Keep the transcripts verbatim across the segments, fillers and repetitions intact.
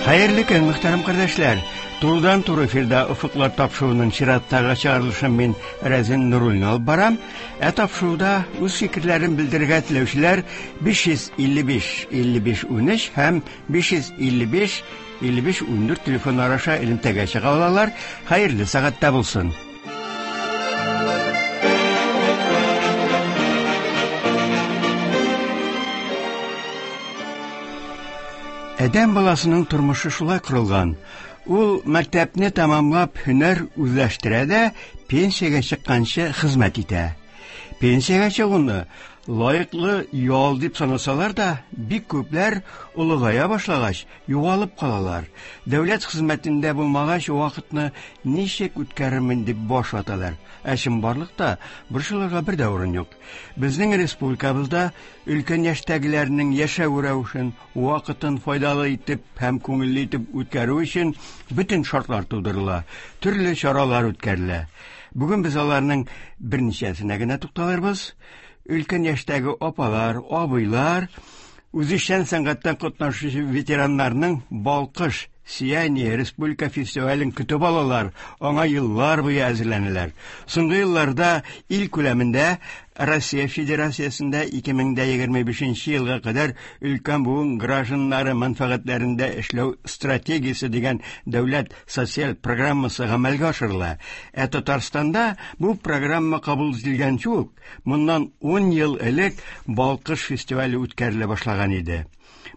Хәерле көн, мөхтәрәм кардәшләр. Турыдан туры эфирда Офыклар тапшыруының чираттагы чыгарылышын мин Рәзин Нуруллин алып барам. Ә тапшыруда үз фикерләрен белдерергә теләүчеләр биш йөз илле биш илле биш унөч һәм биш йөз илле биш илле биш ундүрт телефоннары аша элемтәгә чыга алалар. Хәерле сәгатьтә булсын. Адәм баласының тормышы шулай корылган. Ул мәктәпне тәмамлап һөнәр үзләштерә дә пенсиягә чыкканчы хезмәт итә. Пенсиягә чыгуны лаеклы ял дип санасалар да, бик күпләр олыгая башлагач югалып калалар. Дәүләт хезмәтендә булмагач вакытны ничек үткәрермен дип баш ваталар. Ә чынбарлыкта борчылырга бер дә урын юк. Безнең республикабызда өлкән яшьтәгеләрнең яшәү рәвешен, вакытын файдалы итеп һәм күңелле итеп үткәрү өчен бөтен шартлар тудырыла, төрле чаралар үткәрелә. Бүген без аларның берничәсенә генә тукталырбыз. Өлкән яшьтәге апалар, абыйлар, үзешчән сәнгатьтән катнашучы ветераннарның Балкыш Сияние республика фестивален көтеп алалар, аңа еллар буе әзерләнәләр. Соңгы елларда ил күләмендә Россия Федерациясендә ике мең дә егерме бишенче елга кадәр өлкән буын гражданнары мәнфәгатьләрендә эшләү стратегиясе дигән дәүләт социаль программасы гамәлгә ашырыла. Ә Татарстанда бу программа кабул ителгәнче үк, моннан ун ел элек Балкыш фестивале үткәрелә башлаган иде.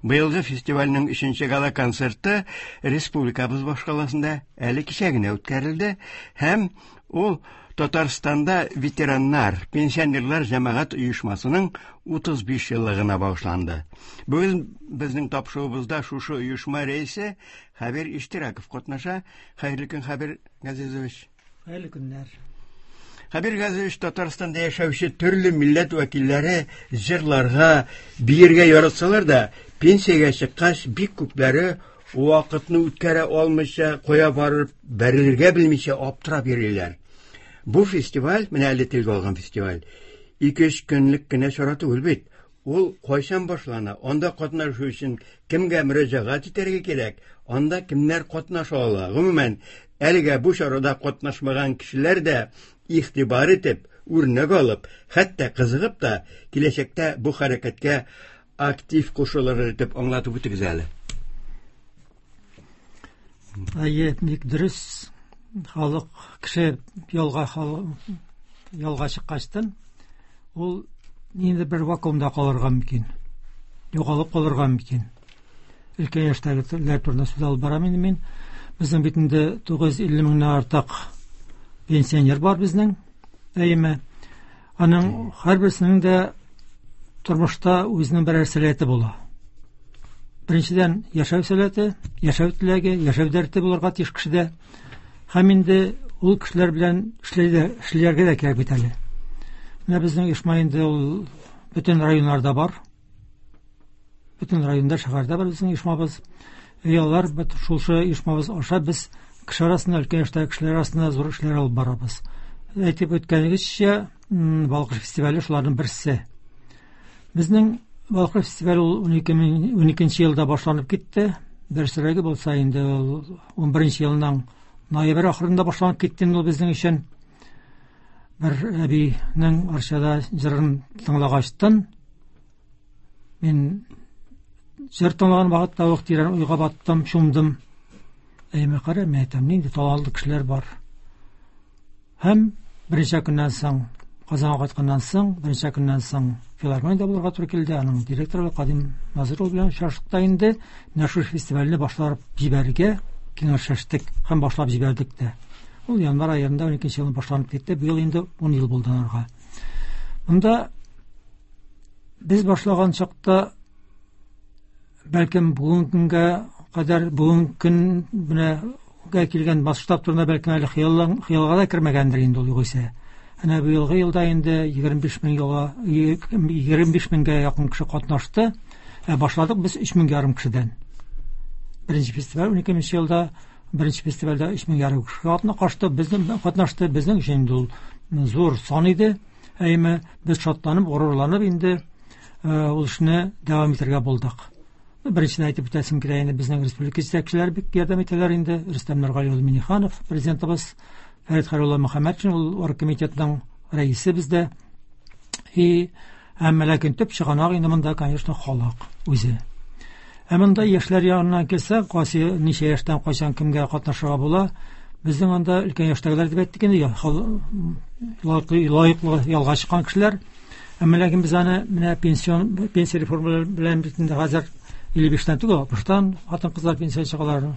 Быелгы фестивальнең өченче гала-концерты республикабыз башкаласында әле кичә генә үткәрелде һәм ул Татарстанда ветераннар, пенсионерлар җәмәгать оешмасының утыз биш еллыгына багышланды. Бүген безнең тапшыруыбызда шушы оешма рәисе Хәбир Иштирәков катнаша. Хәерле көн, Хәбир Газизович. Хәерле көннәр. Хәбир Газизович, Татарстанда яшәүче төрле милләт вәкилләре җырларга, биергә яратсалар да, пенсиягә чыккач бик күпләре вакытны үткәрә алмыйча, кая барып бәрелергә белмичә аптырап йөриләр. Бу фестиваль, менә әле телгә алган фестиваль, ике-өч көнлек кенә чара түгел бит. Ул кайчан башлана, анда катнашу өчен кемгә мөрәҗәгать итәргә кирәк, анда кемнәр катнаша ала. Гомумән, әлегә бу чарада катнашмаган кешеләр дә игътибар итеп, үрнәк алып, хәтта кызыгып та киләчәктә бу хәрәкәткә актив кушылыр дип аңлатып үтегез әле. Әйе, бик дөрес. Халык кеше ялга, ялга чыккачтан ул инде бер вакуумда калырга мөмкин, югалып калырга мөмкин. Өлкән яшьтәгеләр турында сүз алып барам инде мин. Безнең бит инде тугыз йөз илле меңнән артык пенсионер бар безнең. Әйеме? Аның һәрберсенең дә тормышта үзенең берәр сәләте була. Беренчедән, яшәү сәләте, яшәү теләге, яшәү дәрте булырга тиеш кешедә. Һәм инде ул кешеләр белән эшләргә дә кирәк бит әле. Менә безнең оешма инде ул бөтен районнарда бар. Бөтен районда, шәһәрдә бар безнең оешмабыз. Яллар бит шушы оешмабыз аша без кеше арасында, өлкән яшьтәге кешеләр арасында зур эшләр алып барабыз. Әйтеп үткәнегезчә, Балкыш фестивале шуларның берсе. Безнең Балкыш фестивале ул унике мең уникенче елда башланып китте. Дөресрәге булса инде ул унберенче елның ноябрь ахырында башланып китте инде ул безнең өчен. Бер әбинең Арчада җырын тыңлагачтын, мин җыр тыңлаган вакытта ук тирән уйга баттым, чумдым. Әйме кара, мин әйтәм, нинди талантлы кешеләр бар. Һәм берничә көннән соң, Казанга кайтканнан соң, берничә көннән соң филармониядә булырга туры килде. Аның директоры Кадим Назыров белән очраштык та инде менә шул фестивальне башлап җибәрергә киңәшләштек һәм башлап җибәрдек тә. Ул январь аенда уникенче елны башланып китте. Быел инде ун ел булды анарга. Монда без башлаган чакта бәлкем бүгенге көнгә кадәр, бүгенге көн менә килгән масштаб турында бәлкем әле хыяллан, хыялга да кермәгәндер инде ул югыйсә. Әнә быелгы елда инде егерме биш мең елга, егерме биш меңгә якын кеше катнашты. Ә башладык без өч мең ярым кешедән. Беренче фестиваль уникенче елда, беренче фестивальдә өч мең ярым кеше катнашты, безнең катнашты, безнең өчен инде ул зур сан иде. Әйме без шатланып, горурланып инде, э, ул эшне дәвам итәргә булдык. Беренчедән әйтеп үтәсем килә инде, безнең республика җитәкчеләре бик ярдәм итәләр инде. Рөстәм Нургали улы Минниханов, президентыбыз, Фәрит Хәйрулла Мөхәммәтшин, ул оргкомитетның рәисе бездә. И әмма ләкин төп чыганак инде монда, конечно, халык үзе. Ә монда яшьләр янына килсәк, кайсы ничә яшьтән кайчан кемгә катнашырга була? Безнең анда өлкән яшьтәгеләр дип әйттек инде, лаеклы ялга чыккан кешеләр. Әмма ләкин без аны менә пенсион пенсия реформалары белән бит инде хәзер илле биштән түгел, алтмыштан хатын-кызлар пенсия чыгалар,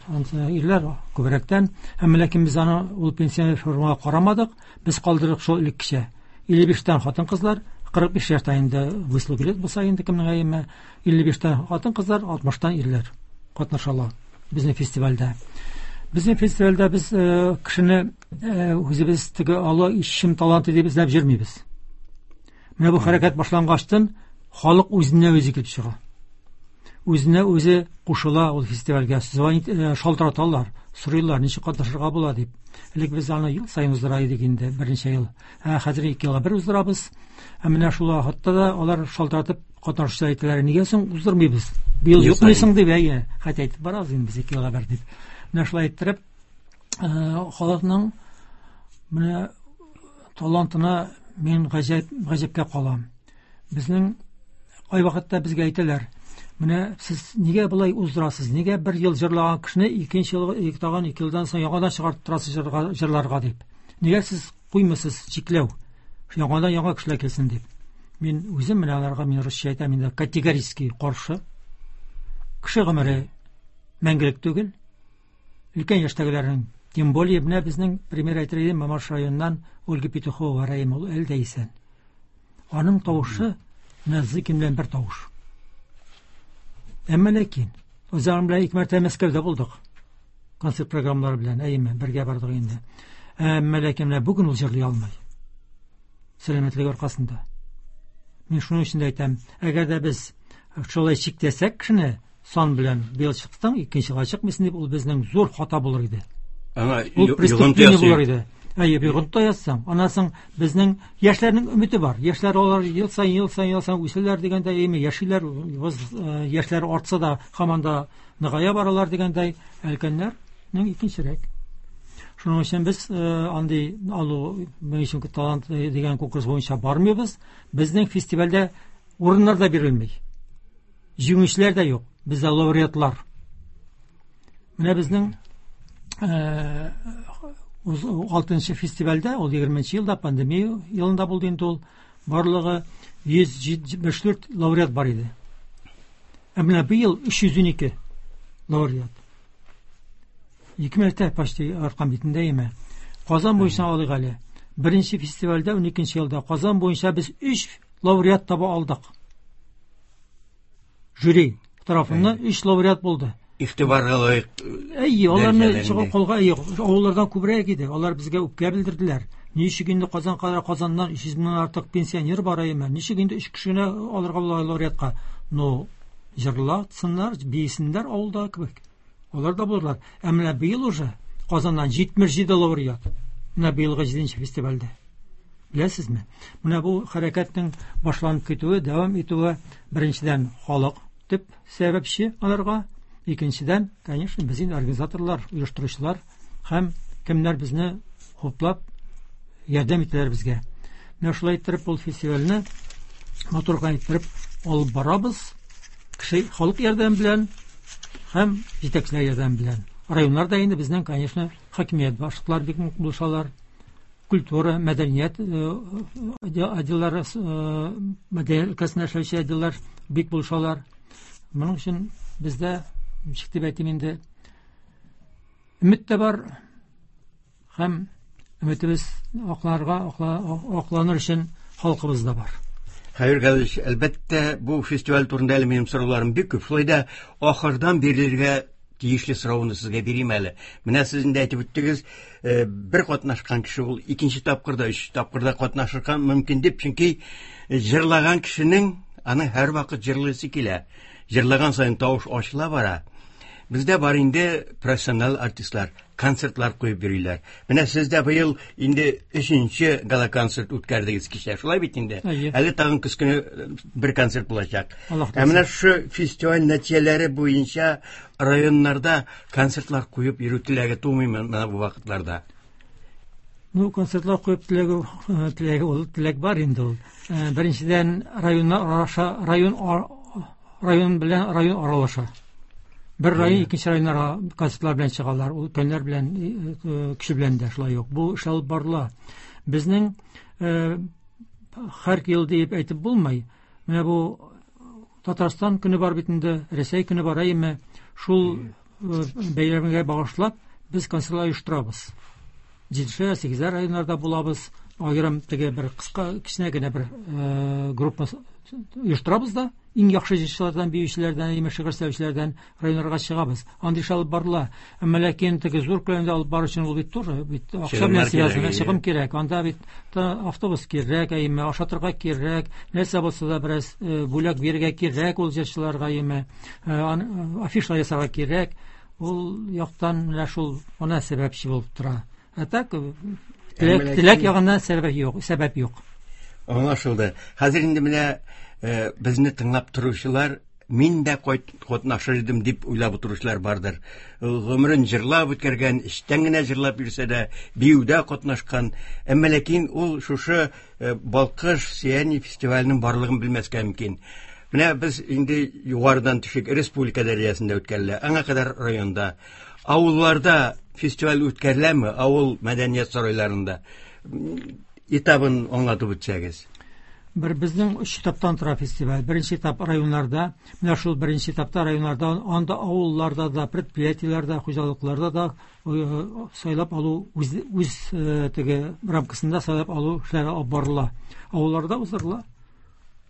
ирләр күбрәктән. Әмма ләкин без аны ул пенсия реформага карамадык, без калдырдык шул элеккечә. илле биштән хатын-кызлар, кырык биш яшьтә инде выслуг лет булса инде кемнең әйеме, илле биштән хатын-кызлар, алтмыштан ирләр катнашалар безнең фестивальдә. Безнең фестивальдә без кешене үзебез теге Алла ишем таланты дип эзләп йөрмибез. Менә бу хәрәкәт башлангачтан халык үзенә үзе килеп чыга. Үзенә үзе кушыла ул фестивальгә. Звонит, шалтыраталар, сорыйлар, ничек катнашырга була дип. Элек без аны ел саен уздыра идек инде, берничә ел. Ә хәзер ике елга бер уздырабыз. Ә менә шул вакытта да алар шалтыратып катнашучылар әйтәләр, нигә соң уздырмыйбыз? Быел юкмыйсың дип, әйе, хәтта әйтеп барабыз инде без ике елга бер дип. Менә шулай иттереп, халыкның менә талантына мин гаҗәп, гаҗәпкә калам. Безнең кайвакытта безгә әйтәләр, менә сез нигә болай уздырасыз? Нигә бер ел җырлаган кешене икенче ел, ике тагын ике елдан соң яңадан чыгартып торасыз җырга, җырларга дип? Нигә сез куймыйсыз чикләү? Яңадан яңа кешеләр килсен дип. Мин үзем менә аларга, мин русча әйтәм, инде категорически каршы. Кеше гомере мәңгелек түгел. Өлкән яшьтәгеләрнең, тем более менә безнең пример әйтер идем, Мамадыш районыннан Ольга Петухова Рәим, ул әле дә исән. Аның тавышы менә Зыкин белән бер тавыш. Әмма ләкин үз аның белән ике мәртәбә Мәскәүдә булдык. Концерт программалары белән, әйеме, бергә бардык инде. Әмма ләкин менә бүген ул җырлый алмый. Сәламәтлеге аркасында. Мин шуның өчен дә әйтәм, әгәр дә без шулай чиктәсәк кешене сан белән быел чыктың, икенче елга чыкмыйсың дип, ул безнең зур хата булыр иде. Аңа Ул преступление булыр иде. Әйе, йогынты ясасаң, аннан соң безнең яшьләрнең өмете бар. Яшьләр алар ел саен, ел саен, ел саен үсәләр дигәндәй, әйме, яшиләр, яшьләр артса да һаман да ныгая баралар дигәндәй, өлкәннәрнең икенчерәк. Шуның өчен без андый алу өчен талант дигән конкурс буенча бармыйбыз. Безнең фестивальдә урыннар да бирелми. Җиңүчеләр дә юк. Бездә лауреатлар. Менә безнең алтынчы фестивальдә, ул егерменче елда, пандемия елында булды инде ул, барлыгы йөз җитмеш дүрт лауреат бар иде. Ә менә быел өч йөз унике лауреат. Ике мәртәбә почти арткан битендә име. Казан буенча алыйк әле. Беренче фестивальдә уникенче елда Казан буенча без өч лауреат таба алдык. Жюри тарафыннан өч лауреат булды. Игътибарга лаек. Әйе, аларны чыгып калга, әйе, авыллардан күбрәк иде. Алар безгә үпкә белдерделәр. Ничек инде Казан кадәр Казаннан өч йөз меңнән артык пенсионер бар әйеме? Ничек инде өч кешене алырга була лауреатка? Но җырлатсыннар, биесеннәр авылда кебек. Алар да булырлар. Ә менә быел уже Казаннан җитмеш җиде лауреат. Менә быелгы җиденче фестивальдә. Беләсезме? Менә бу хәрәкәтнең башланып китүе, дәвам итүе беренчедән халык төп сәбәпче аларга. Икенчедән, конечно, без инде организаторлар, оештыручылар һәм кемнәр безне хуплап ярдәм итәләр безгә. Менә шулай иттереп ул фестивальне матур гына иттереп алып барабыз. Кеше халык ярдәме белән һәм җитәкчеләр ярдәме белән. Районнарда инде безнең, конечно, хакимият башлыклары бик нык булышалар. Культура, мәдәният, отделлары, мәдәният өлкәсендә эшләүче отделлар бик булышалар. Моның өчен бездә, ничек дип әйтим инде, өмет тә бар һәм өметебез акларга, акланыр өчен халкыбыз да бар. Хәбир Галиевич, әлбәттә, бу фестиваль турында әле минем сорауларым бик күп. Шулай да ахырдан бирелергә тиешле сорауны сезгә бирим әле. Менә сез инде әйтеп үттегез, бер катнашкан кеше ул икенче тапкырда, өч тапкырда катнашырга мөмкин дип, чөнки җырлаган кешенең аның һәрвакыт җырлыйсы килә. Җырлаган саен тавыш ачыла бара. Бездә бар инде профессионал артистлар, концертлар куеп йөриләр. Менә сез дә быел инде өченче гала-концерт үткәрдегез кичә. Шулай бит инде? Әйе. Әле тагын көз көне бер концерт булачак. Аллаһ Ә менә шушы фестиваль нәтиҗәләре буенча районнарда концертлар куеп йөрү теләге тумыймы менә бу вакытларда? Ну, концертлар куеп теләге, теләге ул теләк бар инде ул. Э, Беренчедән районнар араша, район ар- район белән район аралаша. Бер район икенче районнарга концертлар белән чыгалар, ул көннәр белән, э, э, кеше белән дә шулай юк. Бу эш алып барыла. Безнең, э, һәр ел дип әйтеп булмый. Менә бу Татарстан көне бар бит инде, Рәсәй көне бар, әйеме? Шул, э, бәйрәмгә багышлап без концертлар оештырабыз. Җидешәр, сигезәр районнарда булабыз. Аерым теге бер кыска, кечкенә генә бер, э, группа оештырабыз да, иң яхшы җырчылардан, биючеләрдән, әйеме, шигырь сөйләүчеләрдән районнарга чыгабыз. Андый эш алып барыла. Әмма ләкин теге зур күләмдә алып бару өчен ул бит тоже бит акча Чыгымнар белән связано, кирәк, чыгым кирәк. Анда бит автобус кирәк, әйеме, ашатырга кирәк, нәрсә булса да бераз, э, бүләк бирергә кирәк ул җырчыларга, әйеме, э, ан-, афишалар ясарга кирәк. Ул яктан менә шул ана сәбәпче булып тора. Ә так, теләк, Әмма теләк ләкин ягыннан сәбәп юк, сәбәп юк. Аңлашылды. Хәзер инде менә, э, безне тыңлап торучылар, мин дә кайт-, катнашыр идем дип уйлап утыручылар бардыр. Гомерен җырлап үткәргән, эчтән генә җырлап йөрсә дә, биюдә катнашкан. Әмма ләкин ул шушы, э, Балкыш Сияние фестиваленең барлыгын белмәскә мөмкин. Менә без инде югарыдан төшик, республика дәрәҗәсендә үткәрелә, аңа кадәр районда. Авылларда фестиваль үткәреләме? Авыл мәдәният сарайларында. Этабын аңлатып үтсәгез. Бер безнең өч этаптан тора фестиваль. Беренче этап районнарда, менә шул беренче этапта районнарда, анда авылларда да, предприятиеләрдә, хуҗалыкларда да, э, сайлап алу үз, үз, э, теге рамкасында сайлап алу эшләре алып барыла. Авылларда уздырыла.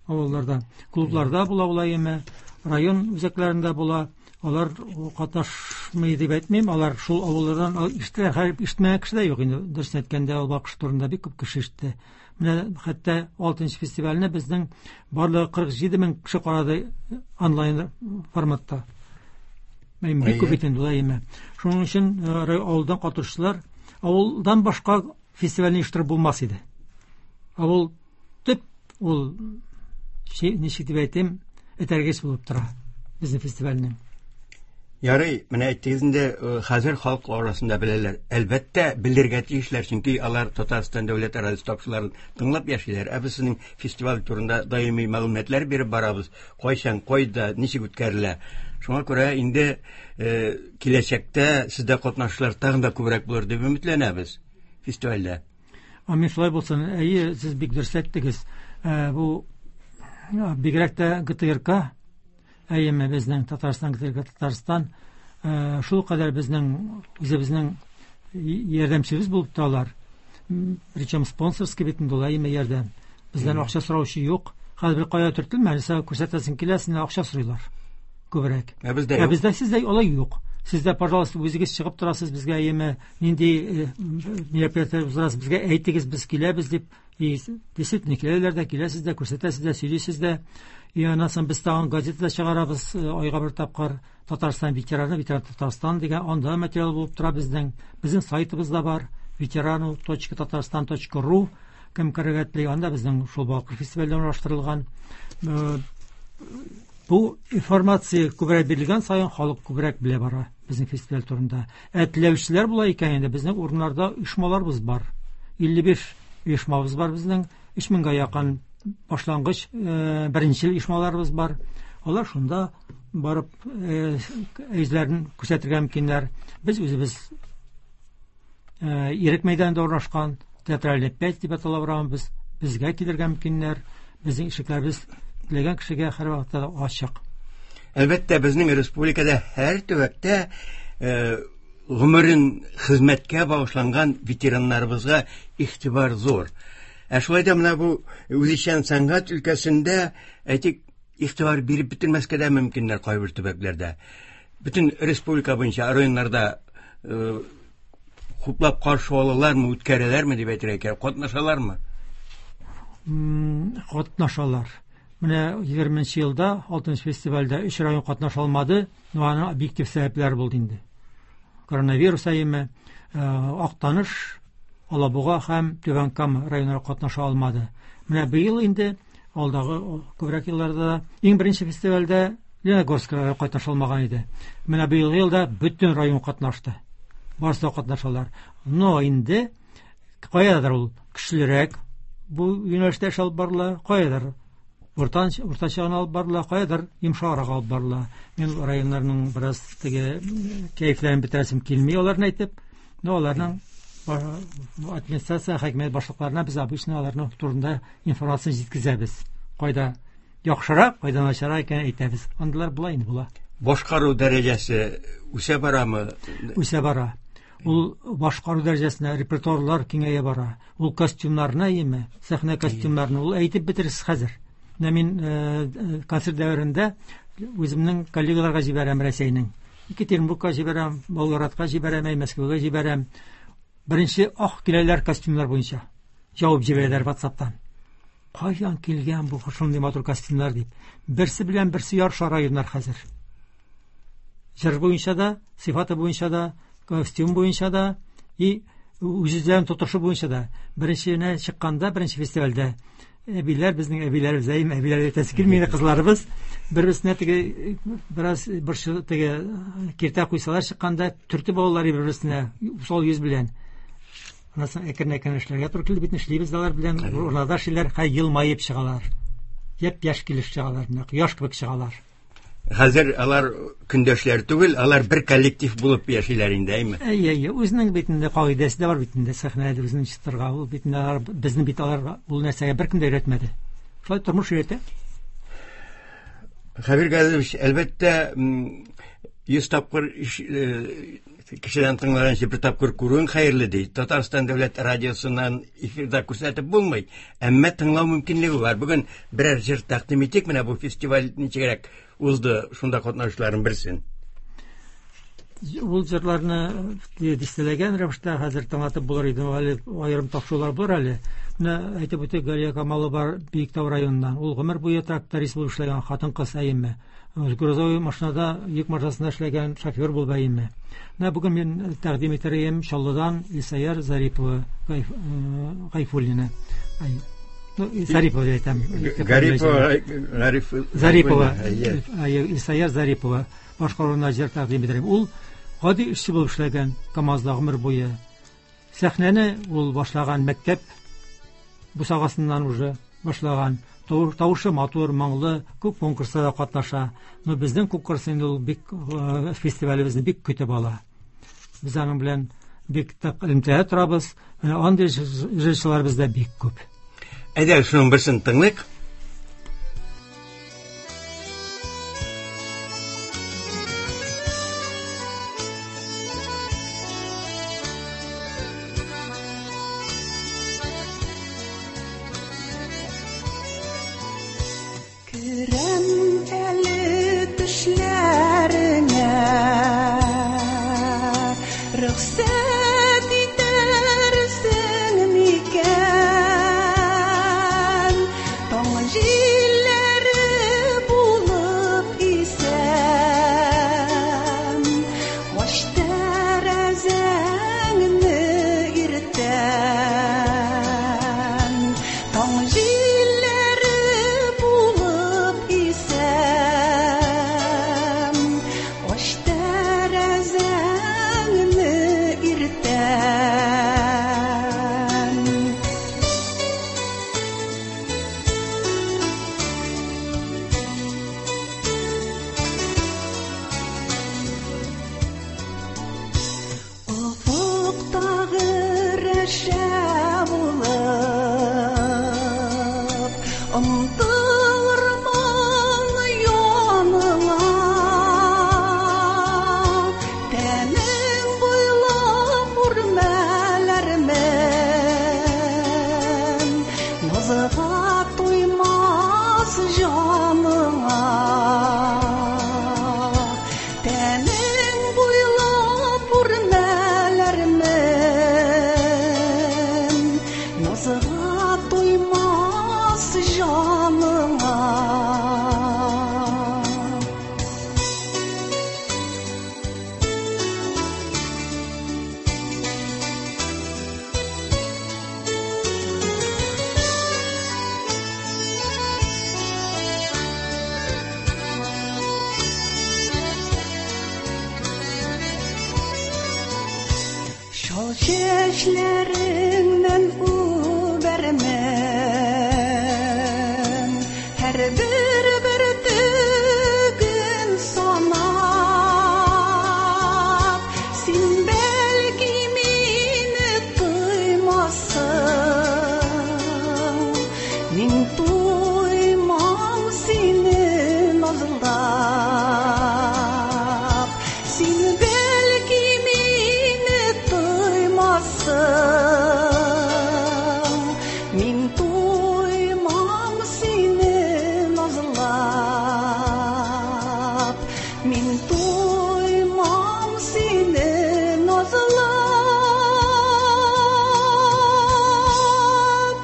Авылларда, клубларда була улай эме, район үзәкләрендә була. Алар катнашмый дип әйтмим, алар шул авыллардан ал-, ишетәләр. Хәер, ишетмәгән кеше дә юк инде. Дөресен әйткәндә, ул Балкыш турында бик күп кеше ишетте. Менә хәтта алтынчы фестивальне безнең барлыгы кырык җиде мең кеше карады онлайн форматта. Әйе, бик күп Әйе. бит инде улай эме. Шуның өчен, э, рай-, авылдан катнашучылар, авылдан башка фестивальне оештырып булмас иде. Авыл төп ул ши-, ничек дип әйтим, этәргеч булып тора безнең фестивальнең. Ярый, менә әйттегез инде, э, хәзер халык арасында беләләр. Әлбәттә, белергә тиешләр, чөнки алар Татарстан дәүләт радиосы тапшыруларын тыңлап яшиләр. Ә без сезнең фестиваль турында даими мәгълүматлар биреп барабыз. Кайчан, кайда, ничек үткәрелә. Шуңа күрә инде, э, киләчәктә сездә катнашучылар тагын да күбрәк булыр дип өметләнәбез фестивальдә. Амин, шулай булсын. Әйе, сез бик дөрес әйттегез. Э, бу бигрәк тә Г Т Р К, әйеме, безнең Татарстан, Г Т Р К Татарстан, э, шул кадәр безнең үзебезнең ярдәмчебез булып торалар. М, причем спонсорский бит инде ул, әйеме, ярдәм. Бездән Мгм. акча сораучы юк. Хәзер бер кая төртелмә, нәрсә күрсәтәсең килә, синнән акча сорыйлар. Күбрәк. Ә бездә Ә юк. бездә сездә алай юк. Сездә, пожалуйста, үзегез чыгып торасыз безгә, әйеме, нинди, э, мероприятие уздырасыз, безгә әйтегез, без киләбез дип. И действительно киләләр дә, киләсез дә, күрсәтәсез дә, сөйлисез дә. И аннан соң без тагын газета чыгарабыз, э, айга бер тапкыр Татарстан ветераны, ветеран Татарстан дигән, анда материал булып тора безнең. Безнең сайтыбыз да бар, ветерану точка татарстан точка ру, кем керергә тели, анда безнең шул Балкыш фестивале урнаштырылган. Э, бу информация күбрәк бирелгән саен халык күбрәк белә бара безнең фестиваль турында. Ә теләүчеләр була икән инде, безнең урыннарда оешмаларыбыз бар. илле биш оешмабыз бар безнең, өч меңгә якын башлангыч, э, беренче оешмаларыбыз бар. Алар шунда барып, э, үзләрен күрсәтергә мөмкиннәр. Без үзебез, э, Ирек мәйданында урнашкан Театральный пять дип атала барабыз. Безгә килергә мөмкиннәр. Безнең ишекләребез теләгән кешегә һәр вакытта да ачык. Әлбәттә, безнең республикада һәр төбәктә, э, гомерен хезмәткә багышланган ветераннарыбызга игътибар зур. Ә шулай да менә бу үзешчән сәнгать өлкәсендә, әйтик, игътибар биреп бетермәскә дә мөмкиннәр кайбер төбәкләрдә. Бөтен республика буенча районнарда, э, хуплап каршы алалармы, үткәрәләрме дип әйтергә кирәк, катнашалармы? М, катнашалар. Менә егерменче елда алтынчы фестивальдә өч район катнаша алмады. Но аның объектив сәбәпләре булды инде. Коронавирус әйеме, Актаныш, Алабуга һәм Түбән Кама районнары катнаша алмады. Менә быел инде алдагы күбрәк елларда иң беренче фестивальдә Леногорск районы катнаша алмаган иде. Менә быелгы елда бөтен район катнашты. Барысы да катнашалар. Но инде каядыр ул көчлерәк бу юнәлештә эш алып барыла, каядыр уртанча, уртача гына алып барыла, каядыр йомшаграк алып барыла. Мин районнарның бераз теге кәефләрен бетерәсем килми аларны әйтеп, но аларның администрация, хакимият башлыкларына без обычно аларның турында информация җиткезәбез. Кайда яхшырак, кайда начаррак икәнен әйтәбез. Андыйлар була инде, була. Башкару дәрәҗәсе үсә барамы? Үсә бара. Ул башкару дәрәҗәсенә репертуарлар киңәя бара. Ул костюмнарны әйеме, сәхнә костюмнарны ул әйтеп бетерсез хәзер. Менә мин, э, концерт дәверендә үземнең коллегаларга җибәрәм Рәсәйнең. Екатеринбургка җибәрәм, Болградка җибәрәм, Мәскәүгә җибәрәм. Беренче ах киләләр костюмнар буенча. Җавап җибәрәләр WhatsApp'тан. Каян килгән бу шундый матур костюмнар дип. Берсе белән берсе ярыша районнар хәзер. Җыр буенча да, сыйфаты буенча да, костюм буенча да, и үз-үзләрен тотышы буенча да. Беренче чыкканда, беренче фестивальдә әбиләр, безнең әбиләребез, әйме, әбиләр әйтәсе килми, кызларыбыз бер-берсенә теге бераз борчу, теге киртә куйсалар чыкканда төртеп алалар бер-берсенә усал йөз белән. Аннан соң әкрен-әкрен эшләргә туры килде бит, эшлибез алар белән, урнада эшлиләр, хәй елмаеп чыгалар. Япь-яшь килеш чыгалар, менә кояш кебек чыгалар. Хәзер алар көндәшләр түгел, алар бер коллектив булып яшиләр инде, әйме? Әйе, әйе, үзенең бит инде кагыйдәсе дә бар бит инде, сәхнәдә үзенең чыктырга, ул бит инде алар, безне бит алар ул нәрсәгә беркем дә өйрәтмәде. Шулай тормыш өйрәтә. Хәбир Газизович, әлбәттә, м, йөз тапкыр иш-, э, кешедән тыңлаганчы бер тапкыр күрүең хәерле ди. Татарстан дәүләт радиосыннан эфирда күрсәтеп булмый, әмма тыңлау мөмкинлеге бар. Бүген берәр җыр тәкъдим итик, менә бу фестиваль ничегрәк узды, шунда катнашучыларның берсен. Ул җырларны дистәләгән рәвештә хәзер тыңлатып булыр иде, әле аерым тапшырулар бар әле. Менә әйтеп үтик, Галия Камалова бар Биектау районыннан. Ул гомер буе тракторист булып эшләгән хатын-кыз әйеме. Грузовой машинада, йөк машинасында эшләгән шофер булып әйеме. Менә бүген мин тәкъдим итәр идем Чаллыдан Илсаяр Зарипова, Гайф-, э, Гайфуллина. Ай, ну, Зарипова дип әйтәм. Гарипова, Гариф, Зарипова. Әйе. Әйе, Илсаяр Зарипова башкаруына җыр тәкъдим итәр идем. Ул гади эшче булып эшләгән КАМАЗда гомер буе. Сәхнәне ул башлаган мәктәп бусагасыннан уже башлаган. Тау-, тавышы матур, моңлы, күп конкурсларда катнаша. Но безнең конкурс инде ул бик, э, фестивалебезне бик көтеп ала. Без аның белән бик тык элемтәдә торабыз. Менә андый җырчылар бездә бик күп. Әйдә, шуның берсен тыңлыйк. Керәм әле төшләреңә, рөхсәт итәрсең микән? Чәчләреңнән үбәрмен, һәрбер бөртеген санап. Син бәлки мине тоймассың, мин туймам сине назлап. Син бәлки мине тоймассың, мин туймам сине назлап. Мин туймам сине назлап.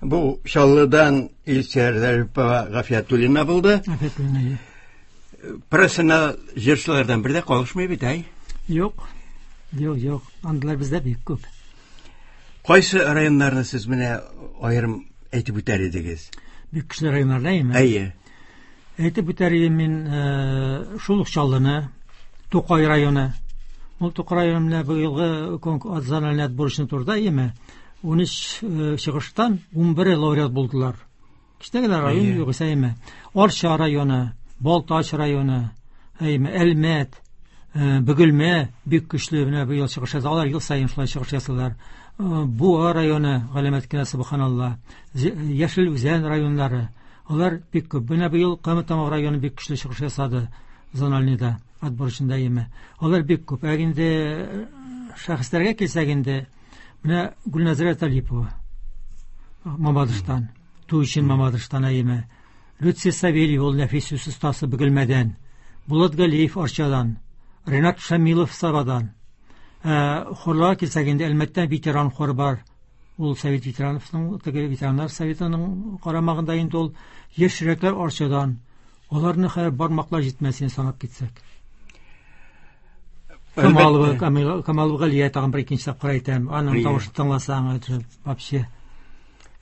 Бу Чаллыдан Илсөяр Зарипова Гафиятуллина булды. Афәтләнә. Профессионал җырчылардан бер дә калышмый бит, әй. Юк. Юк, юк. Андыйлар бездә бик күп. Кайсы районнарны сез менә аерым әйтеп үтәр идегез? Бик көчле районнарда әйме? Әйе. Әйтеп үтәр идем мин э, шул ук Чаллыны, Тукай районы. Ул Тукай районы менә быелгы конкурс зональный отборочный турда әйеме? ун өч э, чыгыштан ун бере лауреат булдылар. Кечкенә генә район Әйе. югыйсә әйеме? Арча районы, Балтач районы, әйеме, Әлмәт, э, Бөгелмә бик көчле менә быел чыгыш ясады. Алар ел саен шулай чыгыш ясыйлар. Э, Буа районы, галәмәт кенә, субханалла. Зе- Яшел Үзән районнары. Алар бик күп. Менә быел Кама Тамагы районы бик көчле чыгыш ясады зональныйда, отборочныйда әйеме. Алар бик күп. Ә инде э, шәхесләргә килсәк инде, менә Гөлназира Талипова Мамадыштан, Туйчин Мамадыштан әйеме. Люция Савельева, ул нәфис сүз остасы Бөгелмәдән. Булат Галиев Арчадан, Ренат Шамилов Сабадан. Ә, хорларга килсәк инде, Әлмәттән ветеран хоры бар. Ул Совет ветерановның, теге ветераннар советының карамагында инде ул. Яшь йөрәкләр Арчадан. Аларны хәзер бармаклар җитмәс инде санап китсәк. Камалова, Әлбәттә. Камил, Камалова Галия тагын бер икенче тапкыр әйтәм. Аның Әйе. тавышын тыңласаң, это вообще.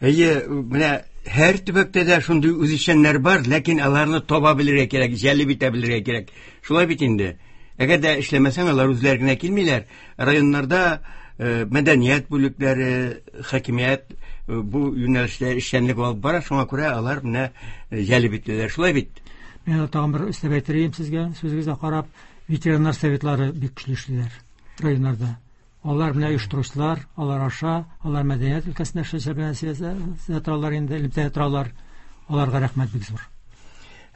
Әйе, менә һәр төбәктә дә шундый үзешчәннәр бар, ләкин аларны таба белергә кирәк, җәлеп итә белергә кирәк. Шулай бит инде. Әгәр дә эшләмәсәң, алар үзләре генә килмиләр. Районнарда, э, мәдәният бүлекләре, хакимият, э, бу юнәлештә эшчәнлек алып бара, шуңа күрә алар менә, э, җәлеп ителәләр. Шулай бит. Мин тагын бер өстәп әйтер идем сезгә, сүзегезгә карап, ветераннар советлары бик көчле эшлиләр районнарда. Алар менә оештыручылар, алар аша, алар мәдәният өлкәсендә эшләүчеләр белән сөйләшә торалар инде, элемтәдә торалар. Аларга рәхмәт бик зур.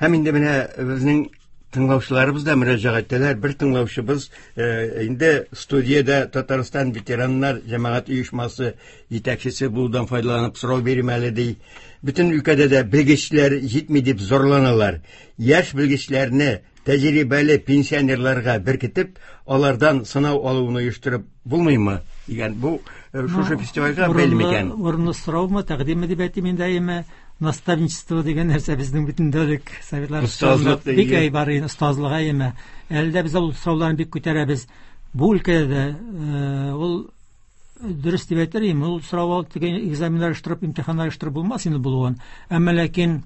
Һәм инде менә безнең тыңлаучыларыбыз да мөрәҗәгать итәләр. Бер тыңлаучыбыз, э, инде студиядә Татарстан ветераннар җәмәгать оешмасы җитәкчесе булудан файдаланып сорау бирим әле ди. Бөтен өлкәдә дә белгечләр җитми дип зарланалар. Яшь белгечләрне тәҗрибәле пенсионерларга беркетеп, алардан сынау алуны оештырып булмыймы дигән бу, э, шушы Ну, фестивальгә бәйле микән? Урынлы сораумы, тәкъдимме дип әйтим инде, әйеме? Наставничество дигән нәрсә безнең бөтен дәүләт советлар Остазлык бик дигән. әй бар инде, остазлык әйеме. Әле дә без ул сорауларны бик күтәрәбез. Бу өлкәдә дә, э, ул дөрес дип әйтер идем, ул сорау алып теге экзаменнар оештырып, имтиханнар оештырып булмас инде булуын. Әмма ләкин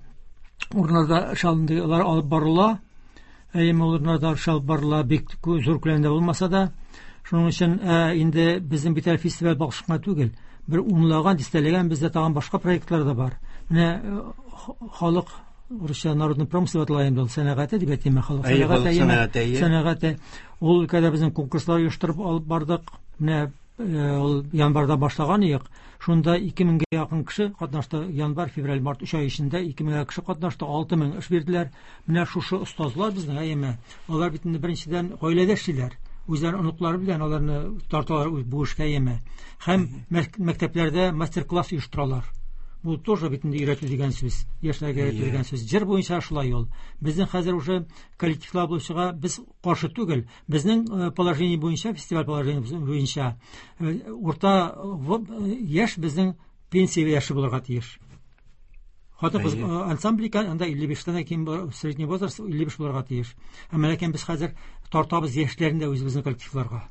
урыннарда эш алындылар алып барыла. Әйеме, урыннарда эш алып барыла, бик кү-, зур күләмдә булмаса да. Шуның өчен, э, инде безнең бит әле фестиваль башка түгел. Бер унлаган, дистәләгән бездә тагын башка проектлар да бар. Менә, э, х-, халык урысча народный промысел дип атала инде ул, сәнәгате дип әйтим, халык Әйе, сәнәгате, халык әйеме? сәнәгате, әйе. Сәнәгате. Ул өлкәдә безнең конкурслар оештырып алып бардык. Менә, э, ул январьда башлаган идек. Шунда ике меңгә якын кеше катнашты. Январь, февраль, март өч ай эчендә ике меңгә кеше катнашты, алты мең эш бирделәр. Менә шушы остазлар безнең, әйеме? Алар бит инде беренчедән гаиләдә эшлиләр. Үзләренең оныклары белән аларны тарталар бу эшкә, әйеме? Һәм мәк-, мәктәпләрдә мастер-класс оештыралар. Бу тоже бит инде өйрәтү дигән сүз, яшьләргә өйрәтү Әйе. дигән сүз. Җыр буенча шулай ул. Безнең хәзер уже коллективлар булучыга без каршы түгел. Безнең, э, положение буенча, фестиваль положение буенча, э, урта, э, в-, э, яшь безнең пенсия яше булырга тиеш. Хатын-кыз, Әйе. э, ансамбль икән, анда илле биштән ким бар, средний возраст илле биш булырга тиеш. Әмма ләкин без хәзер тартабыз яшьләрне дә үзебезнең коллективларга.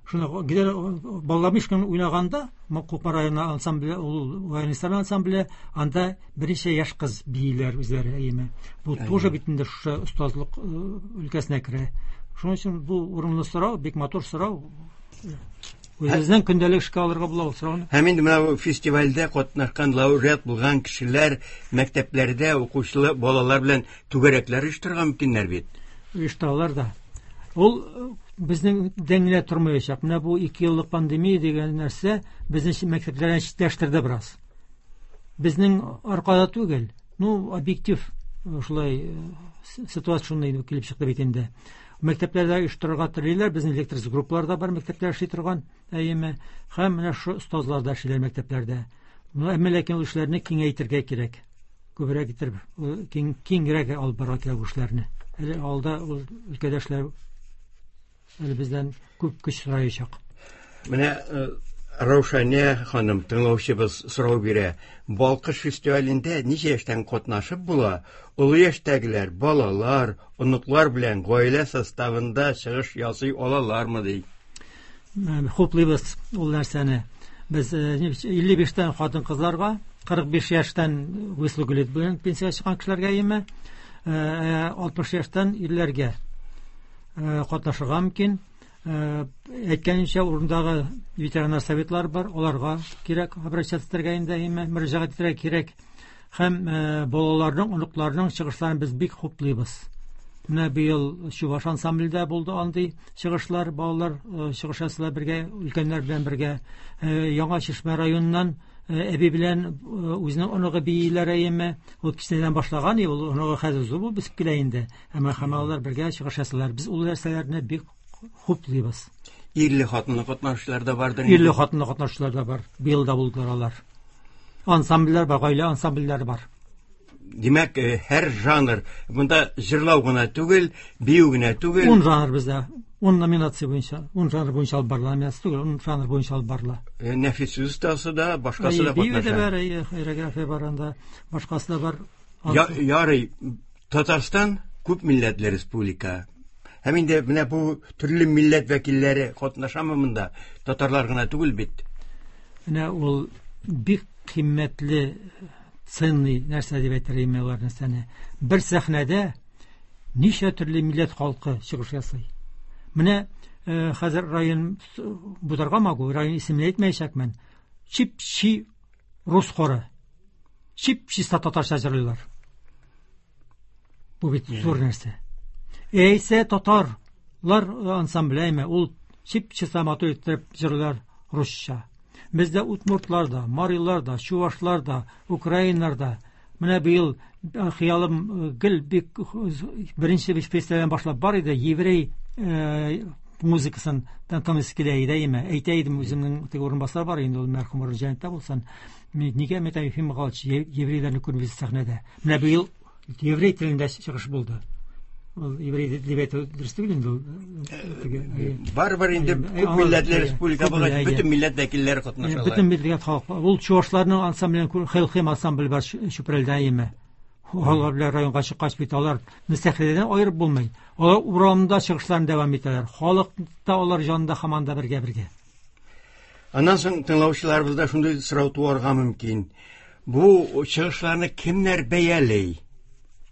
Шуны гидер Балламишкин уйнаганда, М-, Кукмара районы ансамбле, ул баянистлар ансамбле, анда берничә яшь кыз бииләр үзләре, әйеме. Бу Әйе. тоже бит инде шушы остазлык, э, өлкәсенә керә. Шуның өчен бу урынлы сорау, бик матур сорау. Үзебезнең көндәлек эшкә алырга була ул сорауны. Һәм инде менә бу фестивальдә катнашкан лауреат булган кешеләр мәктәпләрдә укучылар балалар белән түгәрәкләр оештырырга мөмкиннәр бит. Оештыралар да. Ул безнең дән генә тормаячак. Менә бу ике еллык пандемия дигән нәрсә безне мәктәпләрдән читләштерде бераз. Безнең аркада түгел. Ну, объектив шулай ситуация шундай килеп чыкты бит инде. Мәктәпләрдә оештырырга телиләр, безнең лектор группалар да бар мәктәпләрдә эшли торган, әйеме. Һәм менә шу остазлар да эшлиләр мәктәпләрдә. Әмма ләкин ул эшләрне киңәйтергә кирәк. Күбрәк итеп, киң, киңрәк алып барырга кирәк бу эшләрне. Әле алда ул өлкәдә эшләр әле бездән күп көч сораячак. Менә Раушания ханым, тыңлаучыбыз сорау бирә. Балкыш фестивалендә ничә яшьтән катнашып була? Олы яшьтәгеләр, балалар, оныклар белән гаилә составында чыгыш ясый алалармы ди? Хуплыйбыз ул нәрсәне. Без илле биштән хатын-кызларга, кырык биш яшьтән выслуга лет белән пенсиягә чыккан кешеләргә име, алтмыш яшьтән ирләргә катнашырга мөмкин. Әйткәнемчә, урындагы ветераннар советлары бар, аларга кирәк обращаться итәргә инде, име, мөрәҗәгать итәргә кирәк. Һәм балаларның, оныкларның чыгышларын без бик хуплыйбыз. Менә быел Чуваш ансамблендә булды андый чыгышлар, балалар чыгыш ясыйлар бергә, өлкәннәр белән бергә. Яңа Чишмә районыннан әби белән үзенең оныгы бииләр әйеме, ул кечкенәдән башлаган, ул оныгы хәзер зур булып үсеп килә инде. Әмма һәм алар бергә чыгыш ясыйлар. Без ул нәрсәләрне бик хуплыйбыз. Ирле хатынлы катнашучылар да бардыр. Ирле хатынлы катнашучылар да бар. Быел да булдылар алар. Ансамбльләр бар, гаилә ансамбльләре бар. Димәк, һәр жанр, монда җырлау гына түгел, бию генә түгел. Ун жанр бездә, ун номинация буенча, ун жанр буенча алып барыла, номинация түгел, ун жанр буенча алып барыла. Нәфис сүз остасы да, башкасы да Бию дә катнаша. бар, хореография бар анда, башкасы да бар. Ярый, Татарстан күп милләтле республика. Һәм инде менә бу төрле милләт вәкилләре катнашамы монда? Татарлар гына түгел бит. Менә ул бик кыйммәтле, ценный нәрсә дип әйтер идем алар нәрсәне. Бер сәхнәдә ничә төрле милләт халкы чыгыш ясый. Менә хәзер район Бударга могу, район исемен әйтмәячәкмен. Чип-чи рус хоры. Чип-чиста татарча җырлыйлар. Бу бит зур нәрсә. Әйсә татарлар ансамбле әйме, ул чип-чиста матур итеп җырлыйлар русча. Бездә удмуртлар да, марилар да, чувашлар да, украиннар да. Менә быел хыялым гел бик беренче фестивальдән башлап бар иде, еврей музыкасын тыңлыйсы килә иде, әйме. Әйтә идем, үземнең теге урынбасар бар инде, ул мәрхүм җәннәттә булсын. Нигә мин Ефим Михайлович еврейләрне күрмибез сәхнәдә? Менә быел еврей телендә чыгыш булды. Ул еврей дип әйтү дөрес түгел инде ул. Барыбер инде күп милләтле республика булгач, бөтен милләт вәкилләре катнашалар. Бөтен милләт халкы. Ул чувашларның ансамблен Хелхем ансамбле бар Чүпрәлдә әйеме. Алар белән районга чыккач бит алар сәхнәдән аерып булмый. Алар урамда чыгышларын дәвам итәләр. Халык та алар җанында һаман да бергә-бергә. Аннан соң тыңлаучыларыбызда шундый сорау туарга мөмкин. Бу чыгышларны кемнәр бәяли?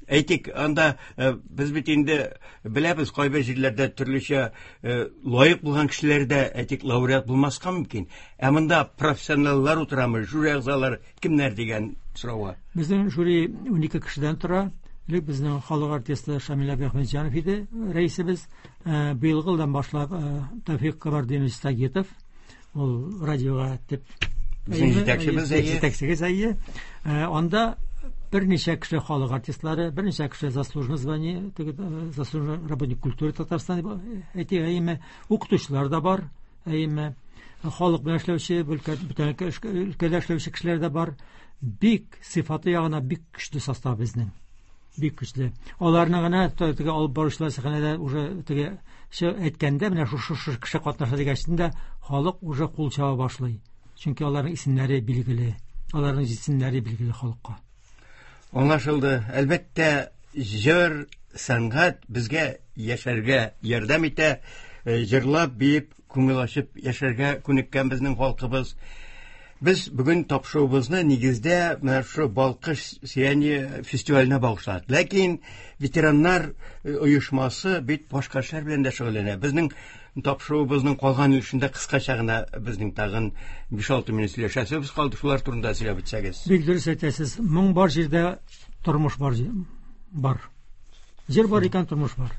Әйтик, анда без бит инде беләбез, кайбер җирләрдә төрлечә лаек булган кешеләр дә, әйтик, лауреат булмаска мөмкин. Ә монда профессионаллар утырамы, жюри әгъзалары кемнәр дигән сорауга. Безнең жюри унике кешедән тора. Элек безнең халык артисты Шамил Әхмәтҗанов иде рәисебез. Быелгы елдан башлап Тәүфик Кабардинович Сагитов, ул радиога дип безнең җитәкчебез, җитәкчебез, әйе. Анда берничә кеше халык артистлары, берничә кеше заслуженный звание, заслуженный работник культуры Татарстана дип әйтик, әйеме, укытучылар да бар, әйеме, халык белән эшләүче, бүтән өлкәдә эшләүче кешеләр дә бар. Бик сыйфаты ягына бик көчле состав безнең. Бик көчле. Аларны гына теге алып баручылар сәхнәдә уже теге әйткәндә, менә шушы шушы кеше катнаша дигәч дә халык уже кул чаба башлый. Чөнки аларның исемнәре билгеле, аларның җисемнәре билгеле халыкка. Аңлашылды. Әлбәттә, җыр, сәнгать безгә яшәргә ярдәм итә. Җырлап, биеп, күңел ачып яшәргә күнеккән безнең халкыбыз. Без бүген тапшыруыбызны нигездә менә шу Балкыш сияне фестиваленә багышладык. Ләкин ветераннар оешмасы бит башка эшләр белән дә шөгыльләнә. Безнең тапшыруыбызның калган өлешендә кыскача гына безнең тагын биш-алты минут сөйләшәсебез калды. Шулар турында сөйләп үтсәгез. Бик дөрес әйтәсез. Моң бар җирдә тормыш бар, бар. Җир бар икән, тормыш бар.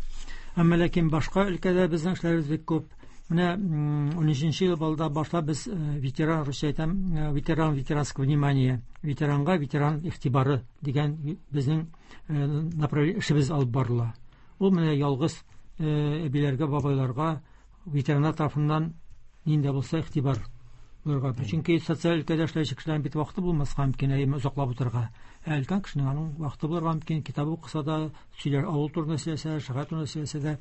Әмма ләкин башка өлкәдә безнең эшләребез бик күп. Менә унөченче ел балда башлап без ветеран, русча әйтәм, ветеран, ветеранское внимание, ветеранга ветеран игътибары дигән безнең направление эшебез алып барыла. Ул менә ялгыз әбиләргә, бабайларга ветераннар тарафыннан нинди булса игътибар булырга. Чөнки социаль өлкәдә эшләүче кешеләрнең бит вакыты булмаска мөмкин, әйме озаклап утырырга. Ә өлкән кешенең аның вакыты булырга мөмкин, китап укыса да, сөйләр, авыл турында сөйләсә, шәһәр турында сөйләсә дә.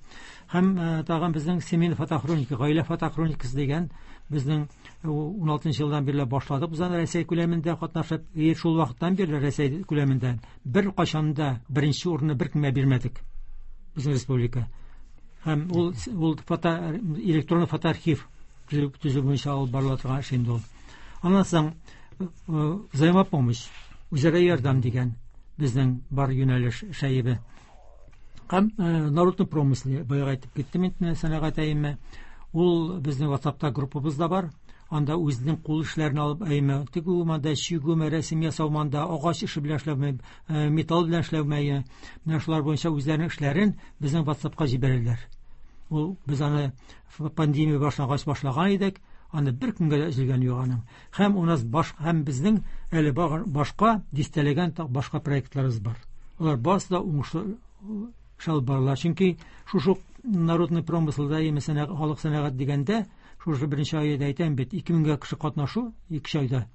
Һәм тагын безнең семейный фотохроника, гаилә фотохроникасы дигән безнең уналтынчы елдан бирле башладык. Без аны Рәсәй күләмендә катнашып, шул вакыттан бирле Рәсәй күләмендә бер кашан да беренче урынны беркемгә бирмәдек. Безнең республика. Һәм ул, ул фото, электрон фотоархив төзү буенча алып барыла торган эш инде ул. Аннан соң взаимопомощь, үзара ярдәм дигән безнең бар юнәлеш шәйбе. Һәм народный промысел, баягы әйтеп киттем инде, сәнәгать әйме. Ул безнең WhatsAppта группабыз да бар. Анда үзенең кул эшләрен алып әйме, тегү монда, чигү, рәсем ясау монда, агач эше белән эшләү, металл белән эшләү, менә шулар буенча үзләренең эшләрен безнең WhatsAppка җибәрәләр. Ул без аны пандемия башлангач башлаган идек, аны бер көнгә дә өзелгән юк аның. Һәм у нас баш, һәм безнең әле башка дистәләгән башка проектларыбыз бар. Алар барысы да уңышлы эш алып барыла. Чөнки шушы народный промыселда, мәсәлән, халык сәнәгать дигәндә, шушы беренче айда әйтәм бит, ике меңгә кеше катнашу ике айда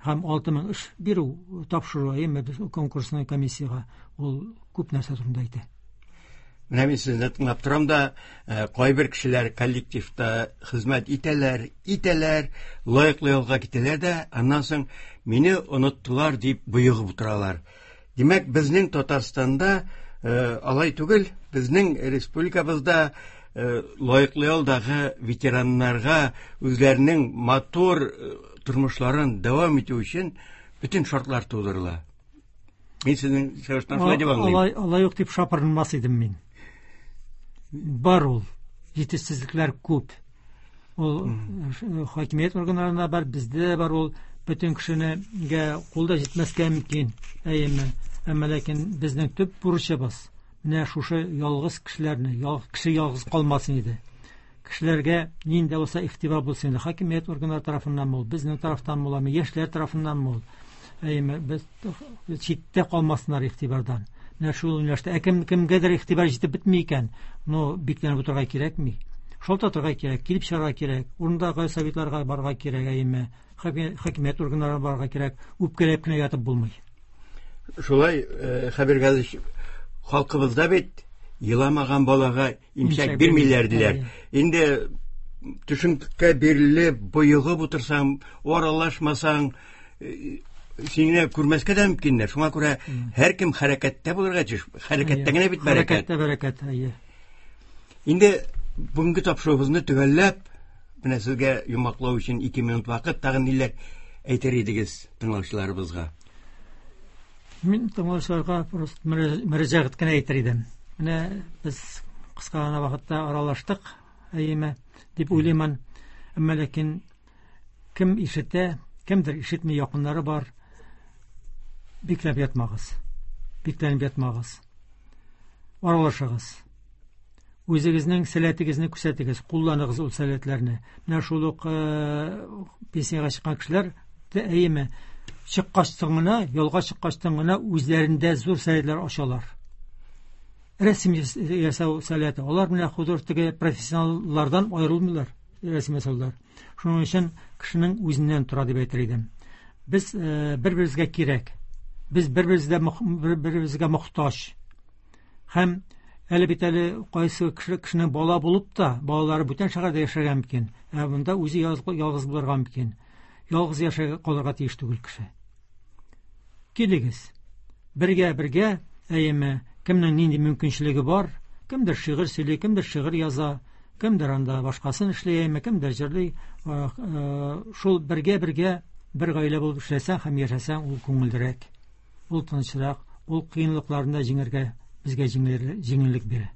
һәм алты мең эш бирү, тапшыру, әйме, конкурсный комиссиягә, ул күп нәрсә турында әйтә. Менә мин сезне тыңлап торам да, кайбер кешеләр коллективта хезмәт итәләр, итәләр, лаеклы ялга китәләр дә, аннан соң мине оныттылар дип боегып утыралар. Димәк, безнең Татарстанда алай түгел, безнең республикабызда лаеклы ялдагы ветераннарга үзләренең матур тормышларын дәвам итү өчен бөтен шартлар тудырыла. Мин сезнең чыгыштан шулай дип аңлыйм. Алай, алай ук дип шапырынмас идем мин. Бар ул, җитешсезлекләр күп. Ул хакимият органнарында бар, бездә бар ул, бөтен кешенегә кул да җитмәскә мөмкин, әйеме. Әмма ләкин безнең төп бурычыбыз менә шушы ялгыз кешеләрне, кеше ялгыз калмасын иде. Кешеләргә нинди булса игътибар булсын иде. Хакимият органнары тарафыннан ул, безнең тарафтан буламы, яшьләр тарафыннан ул. Әйеме, без читтә калмасыннар игътибардан. Менә шул юнәлештә, ә кем кемгәдер игътибар җитеп бетми икән, но бикләнеп утырырга кирәкми. Шалтатырга кирәк, килеп чыгарга кирәк, урындагы советларга барырга кирәк, әйеме, хакимият органнарына барырга кирәк, үпкәләп кенә ятып булмый. Шулай, Хәбир Газиевич, халкыбызда бит еламаган балага имчәк бирмиләр диләр. Инде төшенкә бирелеп, боегып утырсаң, аралашмасаң, сине күрмәскә дә мөмкиннәр. Шуңа күрә һәркем хәрәкәттә булырга тиеш. Хәрәкәттә генә бит бәрәкәт. Хәрәкәттә бәрәкәт, әйе. Инде бүгенге тапшыруыбызны төгәлләп, менә сезгә йомгаклау өчен ике минут вакыт, тагын ниләр әйтер идегез тыңлаучыларыбызга? Мин тыңлаучыларга просто мөрәҗәгать кенә әйтер идем. Менә без кыска гына вакытта аралаштык, әйеме, дип уйлыймын. Әмма ләкин кем ишетә, кемдер ишетми, якыннары бар. Бикләп ятмагыз. Бикләнеп ятмагыз. Аралашыгыз. Үзегезнең сәләтегезне күрсәтегез, кулланыгыз ул сәләтләрне. Менә шул ук пенсиягә чыккан кешеләр, әйеме, чыккачтан гына, ялга чыккачтан гына үзләрендә зур сәләтләр ачалар. Рәсем ясау сәләте. Алар менә художник профессионаллардан аерылмыйлар, рәсем ясаулар. Шуның өчен кешенең үзеннән тора дип әйтер идем. Без бер-беребезгә кирәк. Без бер-беребезгә бер-беребезгә мохтаҗ. Һәм әле бит әле кайсы кеше кешенең бала булып та, балалары бүтән шәһәрдә яшәргә мөмкин. Ә монда үзе ялгыз булырга мөмкин. Ялгыз яшәргә калырга тиеш түгел кеше. Килегез. Бергә-бергә, әйеме, кемнең нинди мөмкинчелеге бар, кемдер шигырь сөйли, кемдер шигырь яза, кемдер анда башкасын эшли, әйеме, кемдер җырлый. Шул бергә-бергә Бер гаилә булып эшләсәң һәм яшәсәң, ул күңеллерәк, ул тынычрак, ул кыенлыкларны да җиңәргә безгә җиңеллек бирә.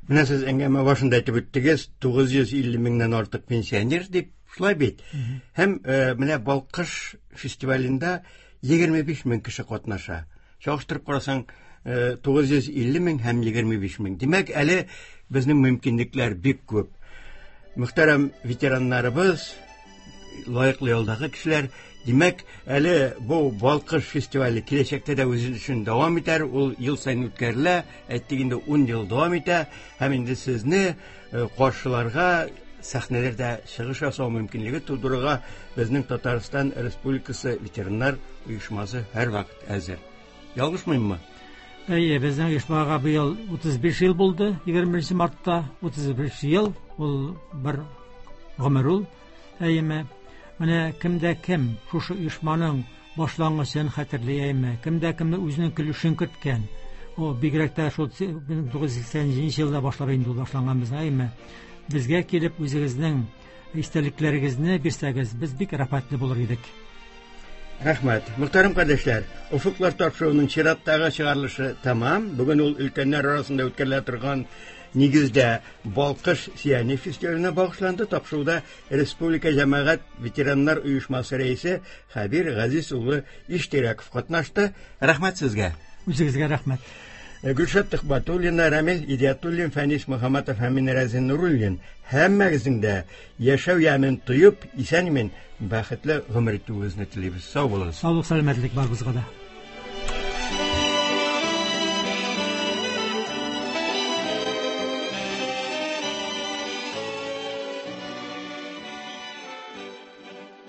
Менә сез әңгәмә башында әйтеп үттегез, тугыз йөз илле меңнән артык пенсионер дип, шулай бит. Һәм менә Балкыш фестивалендә егерме биш мең кеше катнаша. Чагыштырып карасаң, тугыз йөз илле мең һәм егерме биш мең. Димәк, әле безнең мөмкинлекләр бик күп. Мөхтәрәм ветераннарыбыз, лаеклы ялдагы кешеләр, димәк, әле бу Балкыш фестивале киләчәктә дә үз эшен дәвам итәр, ул ел саен үткәрелә, әйттек инде ун ел дәвам итә, һәм инде сезне каршыларга сәхнәләрдә чыгыш ясау мөмкинлеге тудырырга безнең Татарстан Республикасы ветераннар оешмасы һәрвакыт әзер. Ялгышмыйммы? Әйе, безнең оешмага быел утыз биш ел булды, егерме беренче мартта утыз биш ел, ул бер гомер ул. Әйеме? Менә кемдә кем шушы оешманың башлангычын хәтерли, әйеме? Кемдә кемне үзенең көлешен керткән. О, бигрәк тә шул мең тугыз йөз сиксән җиденче елда башлап инде ул башланган безнең, әйеме? Безгә килеп үзегезнең истәлекләрегезне бирсәгез, без бик рәхмәтле булыр идек. Рәхмәт. Мөхтәрәм кардәшләр, Офыклар тапшыруының чираттагы чыгарылышы тәмам. Бүген ул өлкәннәр арасында үткәрелә торган нигездә Балкыш сияни фестиваленә багышланды. Тапшыруда Республика җәмәгать ветераннар оешмасы рәисе Хәбир Газиз улы Иштирәков катнашты. Рәхмәт сезгә. Үзегезгә рәхмәт. Гөлшат Төхбәтуллина, Рамил Идиятуллин, Фәнис Мөхәммәтов һәм мин Рәзин Нуруллин. Һәммәгезнең дә яшәү ямен тоеп, исән-имин, бәхетле гомер итүегезне телибез. Сау булыгыз. Саулык, сәламәтлек барыбызга да.